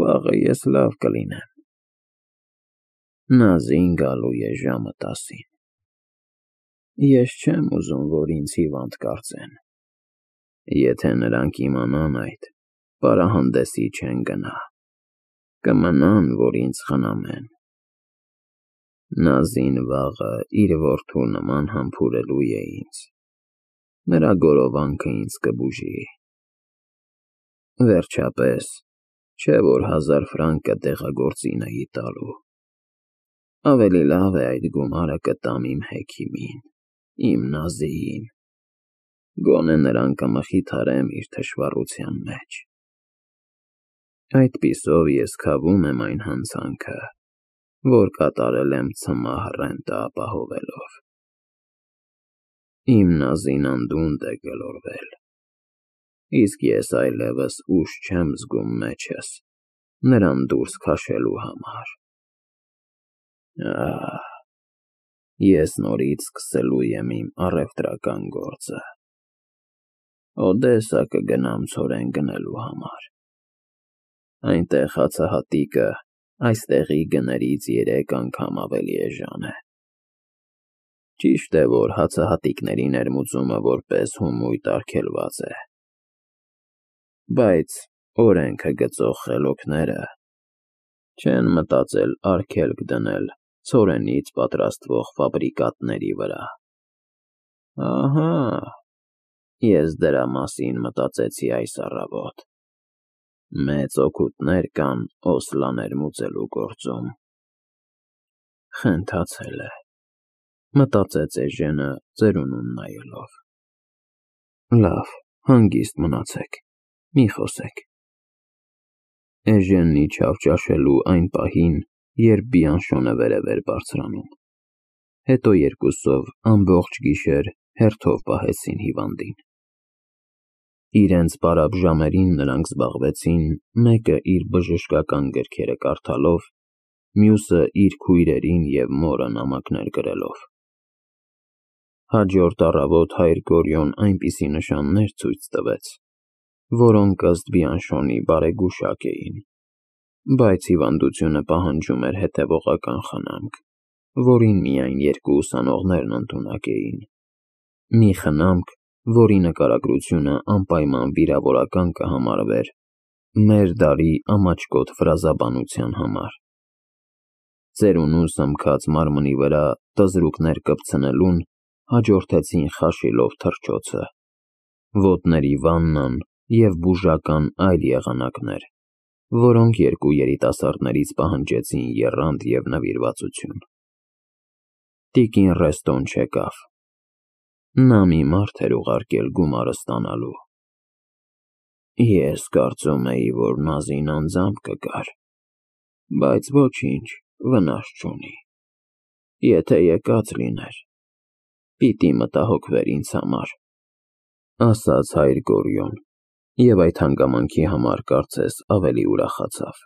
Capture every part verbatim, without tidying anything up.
Վաղը ես լավ կլինեմ։ Նազին գալու է ժամը տասին։ Ես չեմ ուզում, որ ինձ հիվանդ կարծեն։ Եթե նրանք իմանան այդ, պարահանդեսի չեն գնա, կմնան, որ ինձ խնամեն։ Նազին վաղը իր որդու նման համբուրելու է ինձ, նրա գորովանքը ինձ կբուժի։ Վերջապես, չէ որ հազար ֆրանկը դեղագործին էի տալու։ Ավելի լավ է այդ գումարը կտամ իմ հեքիմին, իմ Նազիին, գոնե նրան կմխիթարեմ իր թշվառության մեջ։ Այդպիսով ես քավում եմ այն հանցանքը, որ կատարել եմ ցմահ ռենտը ապահովելով։ Իմ Նազին անդունդ է գլորվել, իսկ ես այլևս ուժ չեմ զգում մեջս նրան դուրս քաշելու համար։ Ահ, ես նորից սկսելու եմ իմ առևտրական գործը։ Օդեսա կգնամ ցորեն գնելու համար։ Այնտեղ հացահատիկը այստեղի գներից երեք անգամ ավելի էժան է։ Ճիշտ է, որ հացահատիկների ներմուծումը որպես հումույտ արգելված է, բայց օրենքը գծող խելոքները չեն մտածել արգելք դնել ցորենից պատրաստվող ֆաբրիկատների վրա։ Ահա, ես դրա մասին մտածեցի այս առավոտ։ Մեծ օգուտներ կան օսլա ներմուծելու գործում։ Խենթացել է, մտածեց Էժենը ծերունուն նայելով։ Լավ, հանգիստ մնացեք, մի խոսեք։ Էժենն իջավ ճաշելու այն պահին, երբ Բիանշոնը վերև էր բարձրանում։ Հետո երկուսով ամբողջ գիշեր հերթով պահեցին հիվանդին։ Իրենց պարապ ժամերին նրանք զբաղվեցին մեկը իր բժշկական գրքերը կարդալով, մյուսը իր քույրերին և մորը նամակներ գրելով։ Հաջորդ առավոտ հայր Գորյոն այնպիսի նշաններ ցույց տվեց, որոնք ըստ Բիանշոնի բարեգուշակ էին, բայց հիվանդությունը պահանջում էր հետևողական խնամք, որին միայն երկու ուսանողներն ընդունակ էին։ Մի խնամք, որի նկարագրությունը անպայման վիրավորական կհամարվեր մեր դարի ամաչկոտ ֆրազաբանության համար։ Ծերունու սմքած մարմնի վրա տզրուկներ կպցնելուն հաջորդեցին խաշիլով թռչոցը, ոտների վաննան և բուժական այլ եղանակներ, որոնք երկու երիտասարդներից պահանջեցին եռանդ և նվիրվածություն։ Տիկին Ռեստոն չեկավ։ Նա մի մարդ էր ուղարկել գումարը ստանալու։ Ես կարծում էի, որ Նազին անձամբ կգար, բայց ոչինչ, վնաս չունի։ Եթե եկած լիներ, պիտի մտահոգվեր ինձ համար, ասաց հայր Գորյոն, և այդ հանգամանքի համար կարծես ավելի ուրախացավ։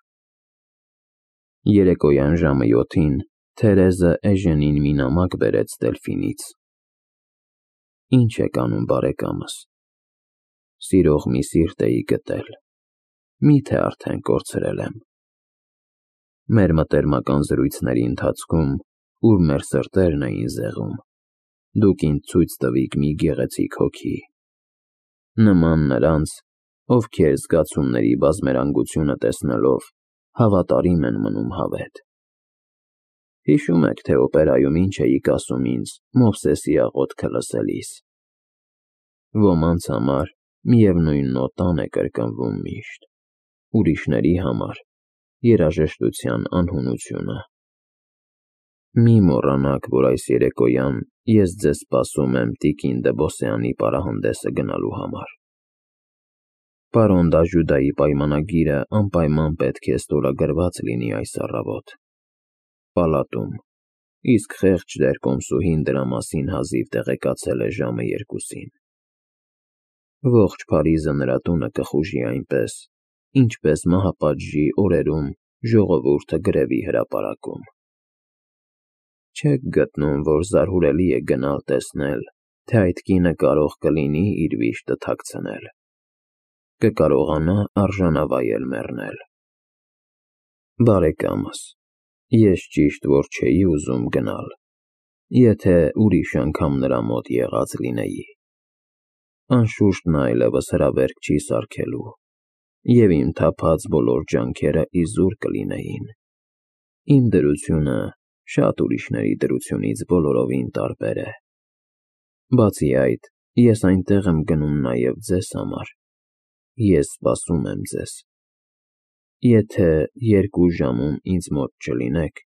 Երեկոյան ժամը յոթին Թերեզը Էժենին մի նամակ բերեց Դելֆինից։ Ինչ եք անում, բարեկամս։ Սիրող մի սիրտ էի գտել, մի՞թե արդեն կորցրել եմ։ Մեր մտերմական զրույցների ընթացքում, ուր մեր սրտերն էին զեղում, դուք ինձ ցույց տվիք մի գեղեցիկ հոգի, նման նրանց, ովքեր զգացումների բազմերանգությունը տեսնելով հավատարիմ են մնում հավետ։ Հիշում եք, թե օպերայում ինչ էիք ասում ինձ Մովսեսի աղոթքը լսելիս։ Ոմանց համար միևնույն նոտան է կրկնվում միշտ, ուրիշների համար երաժշտության անհունությունը։ Մի մոռանաք, որ այս երեկոյան ես ձեզ սպասում եմ տիկին Դեբոսեանի պարահանդեսը գնալու համար։ Պարոն Դաժուդայի պայմանագիրը անպայման պետք է ստորագրված լինի այս առավոտ պալատում, իսկ խեղճ տեր-կոմսուհին դրա մասին հազիվ տեղեկացել է ժամը երկուսին։ Ողջ Փարիզը նրա տունը կխուժի այնպես, ինչպես մահապատժի օրերում ժողովուրդը գրևի հրապարակում։ Չեք գտնում, որ զարհուրելի է գնալ տեսնել, թե այդ կինը կարող կլինի իր վիշտը թաքցնել, կկարողանա արժանավայել մեռնել։ Բարեկամս, ես ճիշտ որ չէի ուզում գնալ, եթե ուրիշ անգամ նրա մոտ եղած լինեի։ Անշուշտ նա այլևս հրավերք չի սարքելու, և իմ թափած բոլոր ջանքերը իզուր կլինեին։ Իմ դրությունը շատ ուրիշների դրությունից բոլորովին տարբեր է։ Բացի այդ, ես այնտեղ եմ գնում նաև ձեզ համար։ Ես սպասում եմ ձեզ։ Եթե երկու ժամում ինձ մոտ չլինեք,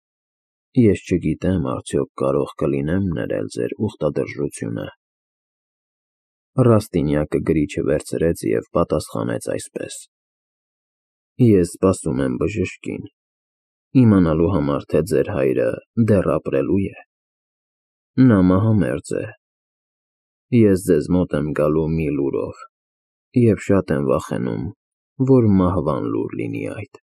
ես չգիտեմ արդյոք կարող կլինեմ ներել ձեր ուխտադրժությունը։ Ռաստինյակը գրիչը վերցրեց և պատասխանեց այսպես. Ես սպասում եմ բժշկին, իմանալու համար, թե ձեր հայրը դեռ ապրելու է։ Նա մահամերձ է։ Ես ձեզ մոտ եմ գալու մի լուրով, և շատ եմ վախենում, որ մահվան լուր լինի այդ։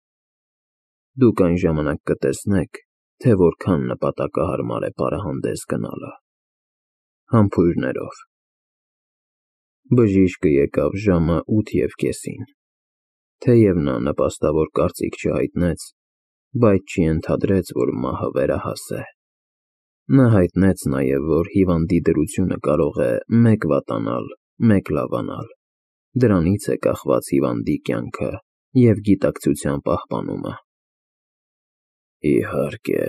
Դուք այն ժամանակ կտեսնեք, թե որքան նպատակահարմար է պարահանդես գնալը։ Համբույրներով։ Բժիշկը եկավ ժամը ութ և կեսին։ Թեև նա նպաստավոր կարծիք չհայտնեց, բայց չենթադրեց, որ մահը վերահաս է։ Նա հայտնեց նաև, որ հիվանդի դրությունը կարող է մեկ վատանալ, մեկ լավանալ, դրանից է կախված հիվանդի կյանքը և գիտակցության պահպանումը։ Իհարկե,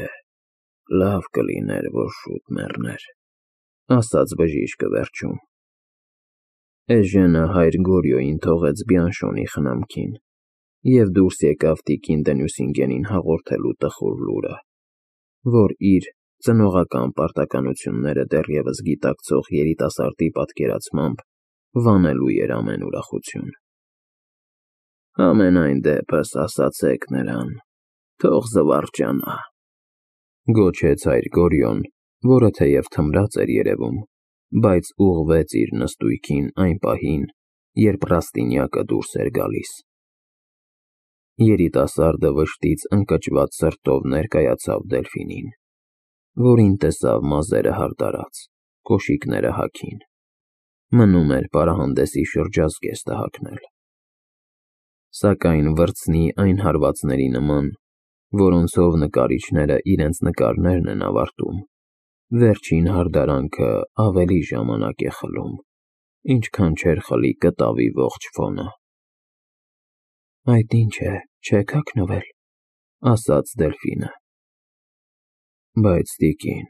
լավ կլիներ, որ շուտ մեռներ, ասաց բժիշկը վերջում։ Էժենը հայր Գորյոյին թողեց Բիանշոնի խնամքին և դուրս եկավ տիկին Դենյուսինգենին հաղորդելու տխուր լուրը, որ իր ծնողական պարտականությունները դեռևս գիտակցող երիտասարդի պատկերացմամբ վանելու էր ամեն ուրախություն։ Համենայն դեպս ասացեք նրան, թող զվարճանա, գոչեց հայր Գորյոն, որը թեև թմրած էր երևում, բայց ուղղվեց իր նստույքին այն պահին, երբ Ռաստինյակը դուրս էր գալիս։ Երիտասարդը վշտից ընկճված սրտով ներկայացավ Դելֆինին, որին տեսավ մազերը հարդարած, կոշիկները հագին։ Մնում էր պարահանդեսի շրջազգեստը հագնել։ Սակայն վրձնի այն հարվածների նման, որոնցով նկարիչները իրենց նկարներն են ավարտում, վերջին հարդարանքը ավելի ժամանակ է խլում, ինչքան չէր խլի կտավի ողջ ֆոնը։ Այդ ինչ է, չե՞ք հագնվել, ասաց Դելֆինը։ Բայց տիկին,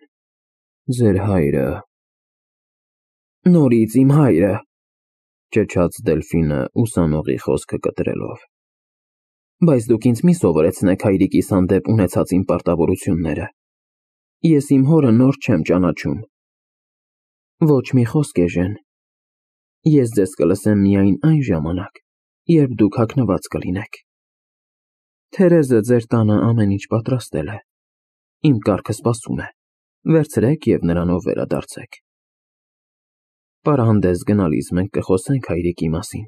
ձեր հայրը… Նորից իմ հայրը… ճչաց Դելֆինը ուսանողի խոսքը կտրելով։ Բայց դուք ինձ մի սովորեցնեք հայրիկիս հանդեպ ունեցած իմ պարտավորությունները։ Ես իմ հորը նոր չեմ ճանաչում։ Ոչ մի խոսք, էժեն։ Ես ձեզ կլսեմ միայն այն ժամանակ, երբ դուք հագնված կլինեք։ Թերեզը ձեր տանը ամեն ինչ պատրաստել է։ Իմ կառքը սպասում է։ Վերցրեք և նրանով վերադարձեք։ Պարահանդես գնալիս մենք կխոսենք հայրիկի մասին։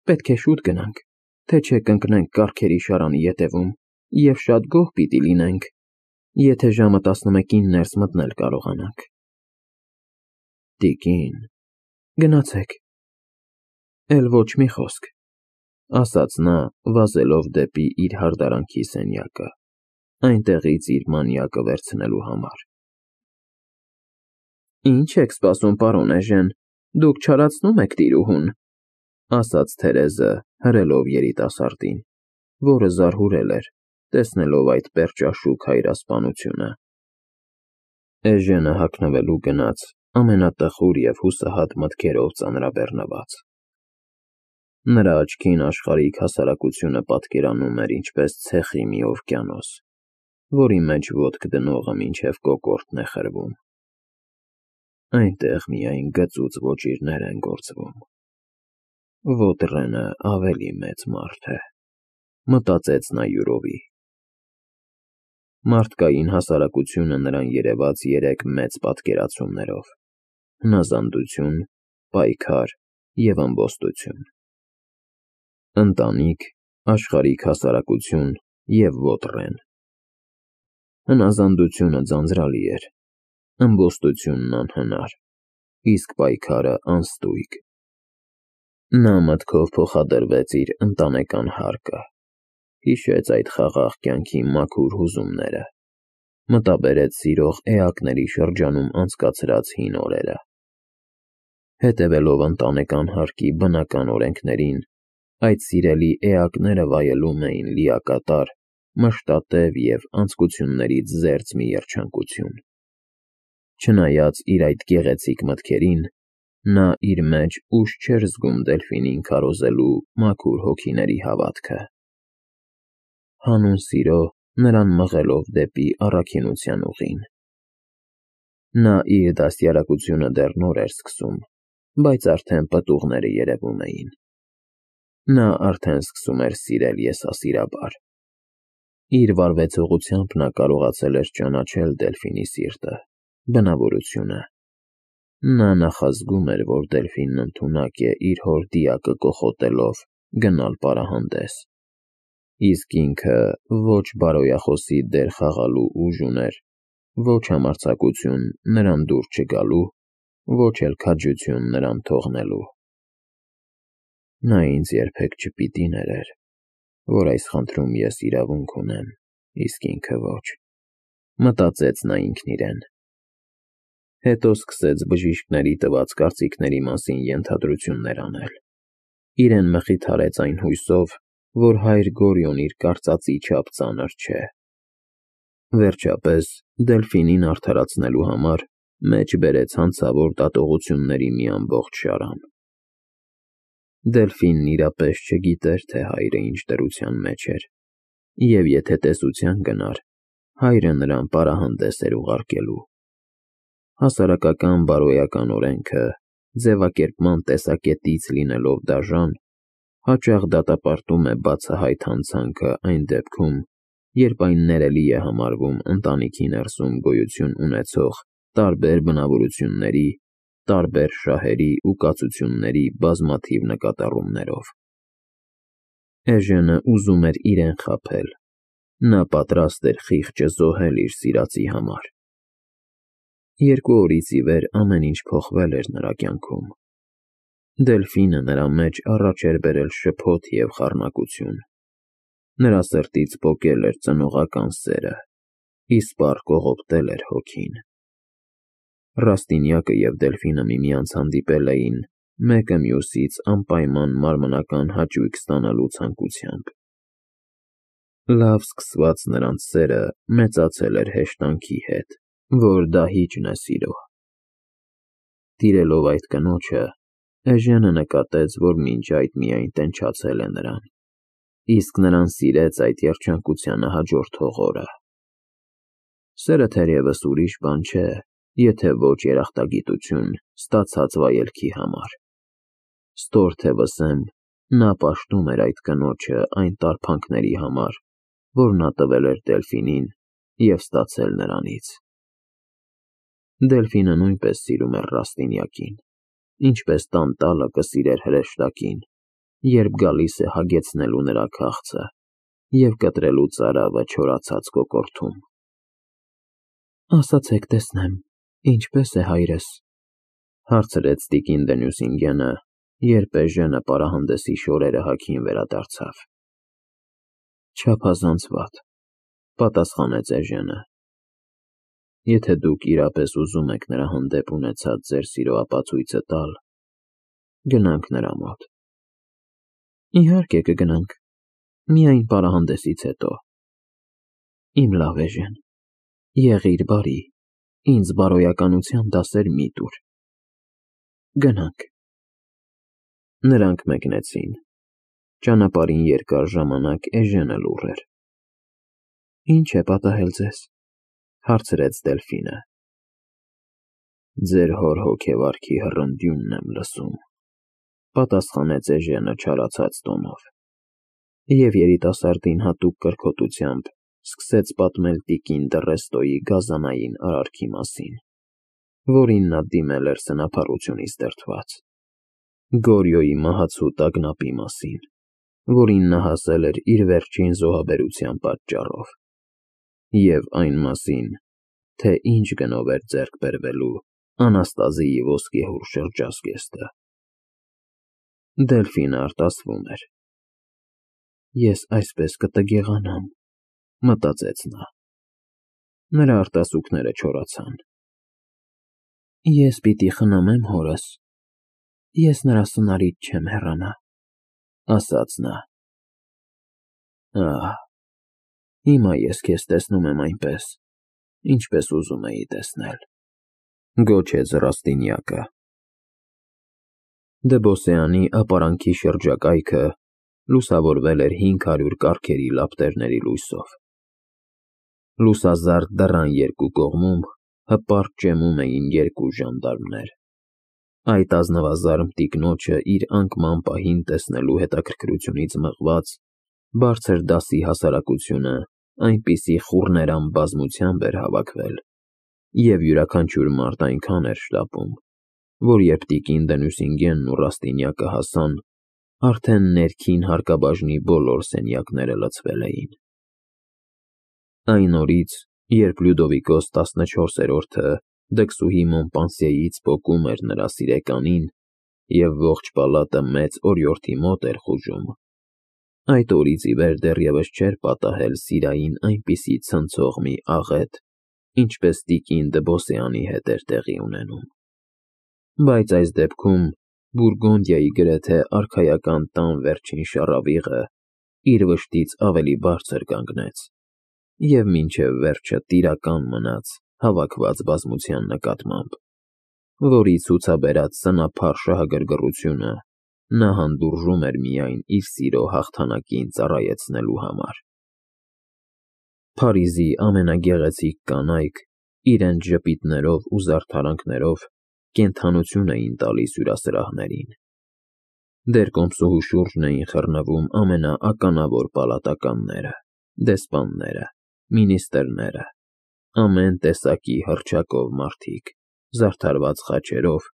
Պետք է շուտ գնանք, թե չէ կընկնենք կառքերի շարանի ետևում և շատ գոհ պիտի լինենք, եթե ժամը տասնմեկին ներս մտնել կարողանանք։ Տիկին… Գնացեք։ Էլ ոչ մի խոսք, ասաց նա, վազելով դեպի իր հարդարանքի սենյակը, այնտեղից իր մանյակը վերցնելու համար։ Ինչ եք սպասում, պարոն էժեն, դուք չարացնում եք տիրուհուն, ասաց Թերեզը, հրելով երիտասարդին, որը զարհուրել էր, տեսնելով այդ պերճաշուք հայրասպանությունը։ Էժենը հագնվելու գնաց ամենատխուր և հուսահատ մտքերով ծանրաբեռնված։ Նրա աչքին աշխարհիկ հասարակությունը պատկերանում էր ինչպես ցեխի մի օվկիանոս, որի մեջ ոտք դնողը մինչև կոկորդն է խրվում։ Այնտեղ միայն գծուծ ոճիրներ են գործվում։ Ոտրենը ավելի մեծ մարդ է, մտածեց նա յուրովի։ Մարդկային հասարակությունը նրան երևաց երեք մեծ պատկերացումներով՝ հնազանդություն, պայքար և ըմբոստություն։ Ընտանիք, աշխարհիկ հասարակություն և ոտրեն։ Հնազանդությունը ձանձրալի էր, ըմբոստությունն անհնար, իսկ պայքարը անստույգ։ Նա մտքով փոխադրվեց իր ընտանեկան հարկը, հիշեց այդ խաղաղ կյանքի մաքուր հուզումները, մտաբերեց սիրող էակների շրջանում անցկացրած հին օրերը։ Հետևելով ընտանեկան հարկի բնական օրենքներին, այդ սիրելի էակները վայելում էին լիակատար, մշտատև և անձկություններից զերծ մի երջանկություն։ Չնայած իր այդ գեղեցիկ մտքերին, նա իր մեջ ուժ չէր զգում Դելֆինին քարոզելու մաքուր հոգիների հավատքը։ Հանուն սիրո նրան մղելով դեպի առաքինության ուղին։ Նա իր դաստիարակությունը դեռ նոր էր սկսում, բայց արդեն պտուղները երևում էին։ Նա արդեն սկսում էր սիրել եսասիրաբար։ Իր վարվեցողությամբ նա կարողացել էր ճանաչել Դելֆինի սիրտը, բնավորությունը։ Նա նախազգում էր, որ Դելֆինն ընդունակ է իր հոր դիակը կոխոտելով գնալ պարահանդես, իսկ ինքը ոչ բարոյախոսի դեր խաղալու ուժ ուներ, ոչ համարձակություն նրան դուր չգալու, ոչ էլ քաջություն նրան թողնելու։ Նա ինձ երբեք չպիտի ներեր, որ այս խնդրում ես իրավունք ունեմ, իսկ ինքը ոչ, մտածեց նա ինքն իրեն։ Հետո սկսեց բժիշկների տված կարծիքների մասին ենթադրություններ անել։ Իրեն մխիթարեց այն հույսով, որ հայր Գորիոն իր կարծածի չափ ծանր չէ։ Վերջապես, Դելֆինին արդարացնելու համար մեջ բերեց հանցավոր դատողությունների մի ամբողջ շարան։ Դելֆինն իրապես չգիտեր, թե հայրը ինչ դրության մեջ էր, և եթե տեսության գնար, հայրը նրան պարահանդես էր ուղարկելու։ Հասարակական բարոյական օրենքը, ձևակերպման տեսակետից լինելով դաժան, հաճախ դատապարտում է բացահայտ հանցանքը այն դեպքում, երբ այն ներելի է համարվում ընտանիքի ներսում գոյություն ունեցող տարբեր բնավորությունների, տարբեր շահերի ու կացությունների բազմաթիվ նկատառումներով։ Էժենը ուզում էր իրեն խաբել, նա պատրաստ էր խիղճը զոհել իր սիրածի համար։ Երկու օրից ի վեր ամեն ինչ փոխվել էր նրա կյանքում։ Դելֆինը նրա մեջ առաջ էր բերել շփոթ և խառնակություն։ Նրա սրտից պոկել էր ծնողական սերը, իսպառ կողոպտել էր հոգին։ Ռաստինյակը և Դելֆինը միմյանց հանդիպել էին մեկը մյուսից անպայման մարմնական հաճույք ստանալու ցանկությամբ։ Լավ սկսված նրանց սերը մեծացել էր հեշտանքի հետ, որ դահիճն է սիրո։ Տիրելով այդ կնոջը, Էժենը նկատեց, որ մինչ այդ միայն տենչացել է նրան, իսկ նրան սիրեց այդ երջանկությանը հաջորդող օրը։ Սերը թերևս ուրիշ բան չէ, եթե ոչ երախտագիտություն ստացած վայելքի համար։ Ստոր թե վսեմ, նա պաշտում էր այդ կնոջը այն տառփանքների համար, որ նա տվել էր Դելֆինին և ստացել նրանից։ Դելֆինը նույնպես սիրում էր Ռաստինյակին, ինչպես տանտալը կսիրեր հրեշտակին, երբ գալիս է հագեցնելու նրա քաղցը և կտրելու ծարավը չորացած կոկորդում։ «Ասացեք տեսնեմ, ինչպե՞ս է հայրս», հարցրեց տիկին Դենյուսինգենը, երբ Էժենը պարահանդեսի շորերը հագին վերադարձավ։ «Չափազանց վատ», պատասխանեց Էժենը։ «Եթե դուք իրապես ուզում եք նրա հանդեպ ունեցած ձեր սիրո ապացույցը տալ, գնանք նրա մոտ»։ «Իհարկե կգնանք, միայն պարահանդեսից հետո»։ «Իմ լավ Էժեն, եղիր բարի, ինձ բարոյականության դասեր մի տուր»։ «Գնանք»։ Նրանք մեկնեցին։ Ճանապարհին երկար ժամանակ Էժենը լուռ էր։ «Ի՞նչ է պատահել ձեզ», հարցրեց Դելֆինը։ «Ձեր հոր հոգեվարքի հռնդյունն եմ լսում», պատասխանեց Էժենը չարացած տոնով, և երիտասարդին հատուկ կրքոտությամբ սկսեց պատմել տիկին Դռեստոյի գազանային արարքի մասին, որին նա դիմել էր սնափառությունից դրդված, Գորիոյի մահացու տագնապի մասին, որին նա հասել էր իր վերջին զոհաբերության պատճառով, և այն մասին, թե ինչ գնով էր ձեռք բերվելու Անաստազիի ոսկեհուռ շրջազգեստը։ Դելֆինը արտասվում էր։ Ես այսպես կտգեղանամ, մտածեց նա։ Նրա արտասուքները չորացան։ Ես պիտի խնամեմ հորս, ես նրա սնարից չեմ հեռանա, ասաց նա։ Ահ, հիմա ես քեզ տեսնում եմ այնպես, ինչպես ուզում էի տեսնել, գոչեց Ռաստինյակը։ Դբոսյանի ապարանքի շրջակայքը լուսավորվել էր հինգ հարյուր կառքերի լապտերների լույսով։ Լուսազարդ դռան երկու կողմում հպարտ ճեմում էին երկու ժանդարմներ։ Այդ ազնվազարմ տիկնոջը իր անկման պահին տեսնելու հետաքրքրությունից մղված, բարձր դասի հասարակությունը այնպիսի խուռներամ բազմությամբ էր հավաքվել, և յուրաքանչյուր մարդ այնքան էր շտապում, որ երբ տիկին Դենյուսինգենն ու Ռաստինյակը հասան, արդեն ներքին հարկաբաժնի բոլոր սենյակները լցվել էին։ Այն օրից, երբ Լյուդովիկոս տասնչորսերորդը դքսուհի Մոնպանսիեից պոկում էր նրա սիրեկանին և ողջ պալատը մեծ օրիորդի մոտ էր խուժում, այդ օրից ի վեր դեռևս չէր պատահել Սիրային այնպիսի ցնցող մի աղետ, ինչպես տիկին Դբոսյանի հետ էր տեղի ունենում։ Բայց այս դեպքում Բուրգոնդիայի գրեթե արքայական տան վերջին շառավիղը իր վշտից ավելի բարձր կանգնեց և մինչև վերջը տիրական մնաց հավաքված բազմության նկատմամբ, որի ցուցաբերած սնափառ շահագրգռությունը նա հանդուրժում էր միայն իր սիրո հաղթանակին ծառայեցնելու համար։ Փարիզի ամենագեղեցիկ կանայք իրենց ժպիտներով ու զարդարանքներով կենդանություն էին տալիս հյուրասրահներին։ Դեռ կոմսուհու շուրջն էին խռնվում ամենաականավոր պալատականները, դեսպանները, մինիստրները, ամեն տեսակի հռչակով մարդիկ, զարդարված խաչերով,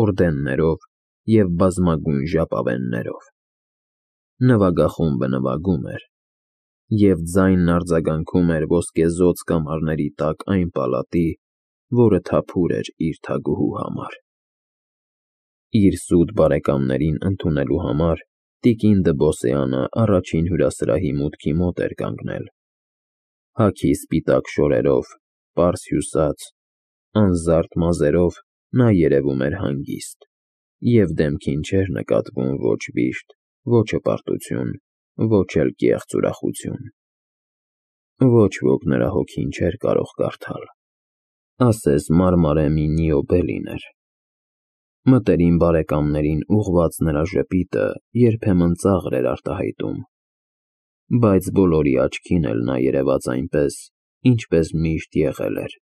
օրդեններով և բազմագույն ժապավեններով։ Նվագախումբը նվագում էր, և ձայնն արձագանքում էր ոսկեզօծ կամարների տակ այն պալատի, որը թափուր էր իր թագուհու համար։ Իր սուտ բարեկամներին ընդունելու համար տիկին Դբոսյանը առաջին հյուրասրահի մուտքի մոտ էր կանգնել։ Հագի սպիտակ շորերով, պարզ հյուսած, անզարդ մազերով նա երևում էր հանգիստ, և դեմքին չէր նկատվում ոչ վիշտ, ոչ հպարտություն, ոչ էլ կեղծ ուրախություն։ Ոչ ոք նրա հոգին չէր կարող կարդալ, ասես մարմարե մի նիոբե լիներ։ Մտերիմ բարեկամներին ուղղված նրա ժպիտը երբեմն ծաղր էր արտահայտում, բայց բոլորի աչքին էլ նա երևաց այնպես, ինչպես միշտ եղել էր,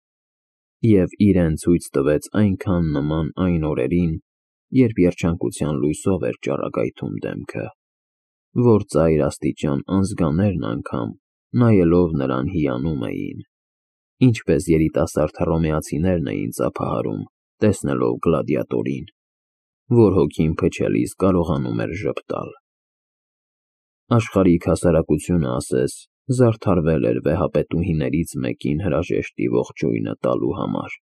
և իրեն ցույց տվեց այնքան նման այն օրերին, երբ երջանկության լույսով էր ճառագայթում դեմքը, որ ծայր աստիճան անզգաներն անգամ, նայելով նրան, հիանում էին, ինչպես երիտասարդ հռոմեացիներն էին ծափահարում, տեսնելով գլադիատորին, որ հոգին փչելիս կարողանում էր ժպտալ։ Աշխարհիկ հասարակությունը ասես զարդարվել էր վեհապետուհիներից մեկին հրաժեշտի ողջույնը տալու համար։